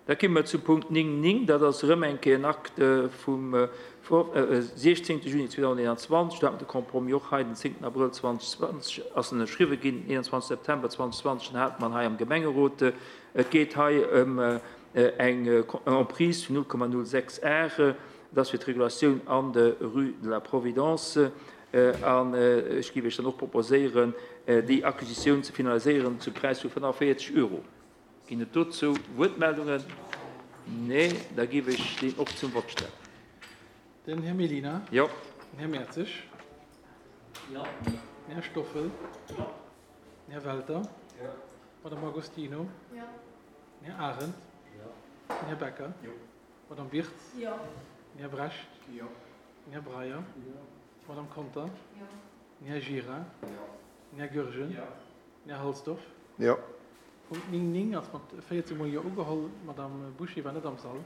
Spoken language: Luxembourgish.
Da komme mer zum Punkt 9, 9, dat ass erëm eng Kéier en Acte vum 16. Juni 2021. Do hat mer de Compromis och hei den 10. Abrëll 2020 ass en ënnerschriwwen ginn, den 21. September 2020 den hate mer en hei am Gemengerot. Et geet hei ëm eng Emprise vun 0,06 Ar. Dat ass fir d'Regulatioun an der Rue de la Providence. An ech géif Iech dann och proposéieren, déi Acquisitioun ze finaliséieren zum Präis vu 45 Euro. Ginn et dozou Wuertmeldungen? Nee, da géif ech deen och zum Vott stellen. Den Här Mellina. Jo. Den Här Mertzig. Jo. Den Här Stoffel. Jo. Den Här Welter. Jo. D'Madame Agostino. Jo. Den Här Arendt. Jo. Den Här Becker. Jo. D'Madame Wirtz. Jo. Den Här Brecht. Jo. Den Här Breyer. Jo. D'Madame Conter. Jo. Den Här Gira. Jo. Den Här Goergen. Jo. Den Här Halsdorf. Jo. Punkt 9, 9 ass mat 14 mol Jo ugeholl. D'Madame Bouché war net am Sall.